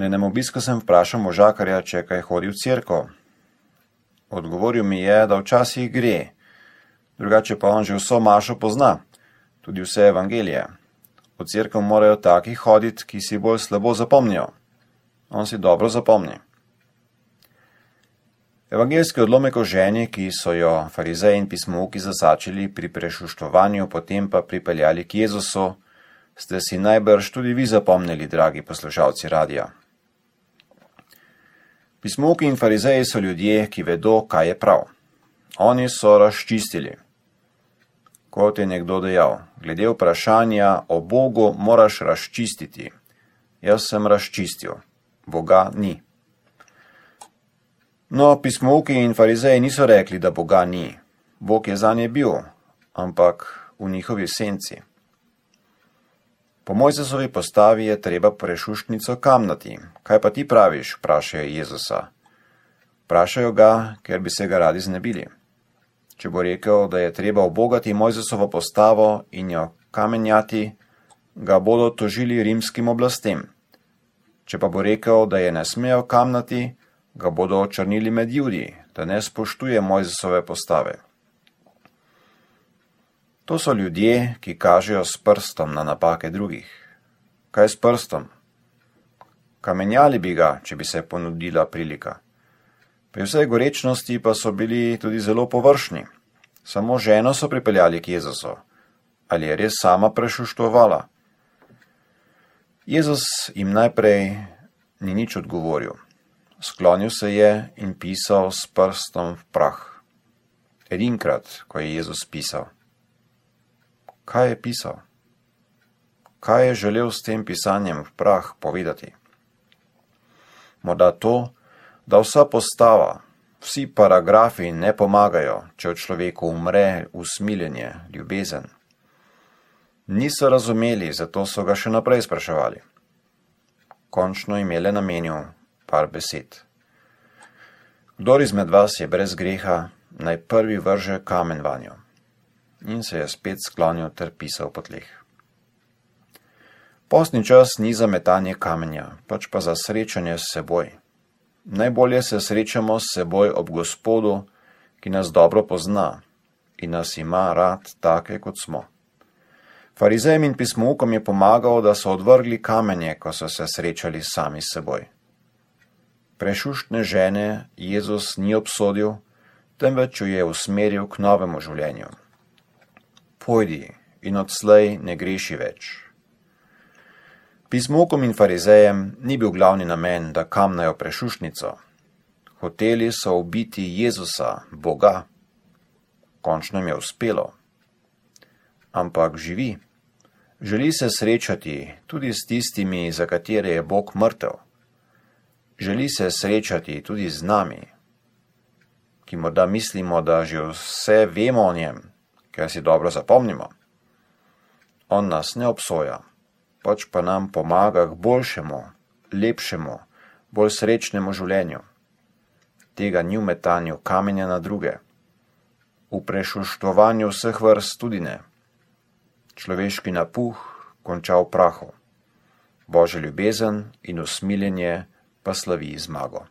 Na enem obisku sem vprašal možakarja, če kaj hodi v cerkev. Odgovoril mi je, da včasih gre, drugače pa on že vso mašo pozna, tudi vse evangelije. V cerkev morajo taki hoditi, ki si bolj slabo zapomnijo. On si dobro zapomni. Evangeljski odlomek o ženi, ki so jo farizeji in pismouki zasačili pri prešuštovanju, potem pa pripeljali k Jezusu, ste si najbrž tudi vi zapomnili, dragi poslušalci radija. Pismouki in farizeji so ljudje, ki vedo, kaj je prav. Oni so razčistili. Kot je nekdo dejal, glede vprašanja o Bogu moraš razčistiti. Jaz sem razčistil. Boga ni. No, pismouki in farizeji niso rekli, da Boga ni. Bog je zanje bil, ampak v njihovi senci. Po Mojzesovi postavi je treba prešuštnico kamnati. Kaj pa ti praviš, vprašajo Jezusa. Vprašajo ga, ker bi se ga radi znebili. Če bo rekel, da je treba ubogati Mojzesovo postavo in jo kamenjati, ga bodo tožili rimskim oblastem. Če pa bo rekel, da je ne smejo kamnati, ga bodo očrnili med Judi, da ne spoštuje Mojzesove postave. To so ljudje, ki kažejo s prstom na napake drugih. Kaj s prstom? Kamenjali bi ga, če bi se ponudila prilika. Pri vsej gorečnosti pa so bili tudi zelo površni. Samo ženo so pripeljali k Jezusu. Ali je res sama prešuštovala? Jezus jim najprej ni nič odgovoril. Sklonil se je in pisal s prstom v prah. Edinkrat, ko je Jezus pisal. Kaj je pisal? Kaj je želel s tem pisanjem v prah povedati? Morda to, da vsa postava, vsi paragrafi ne pomagajo, če v človeku umre usmiljenje, ljubezen. Niso razumeli, zato so ga še naprej spraševali. Končno jim je le namenil par besed. Kdor izmed vas je brez greha, naj prvi vrže kamen vanjo. In se je spet sklonil ter pisal po tleh. Postni čas ni za metanje kamenja, pač pa za srečanje s seboj. Najbolje se srečamo s seboj ob Gospodu, ki nas dobro pozna in nas ima rad take, kot smo. Farizejem in pismoukom je pomagal, da so odvrgli kamenje, ko so se srečali sami s seboj. Prešuštne žene Jezus ni obsodil, temveč jo je usmeril k novemu življenju. Pojdi in odslej ne greši več. Pismoukom in farizejem ni bil glavni namen, da kamnajo prešuštnico. Hoteli so ubiti Jezusa, Boga. Končno jim je uspelo. Ampak živi. Želi se srečati tudi s tistimi, za katere je Bog mrtev. Želi se srečati tudi z nami, ki morda mislimo, da že vse vemo o njem, ker si dobro zapomnimo. On nas ne obsoja, pač pa nam pomaga k boljšemu, lepšemu, bolj srečnemu življenju. Tega ni v metanju kamenja na druge, v prešuštovanju vseh vrst tudi ne. Človeški napuh konča v prahu, Božja ljubezen in usmiljenje pa slavi zmago.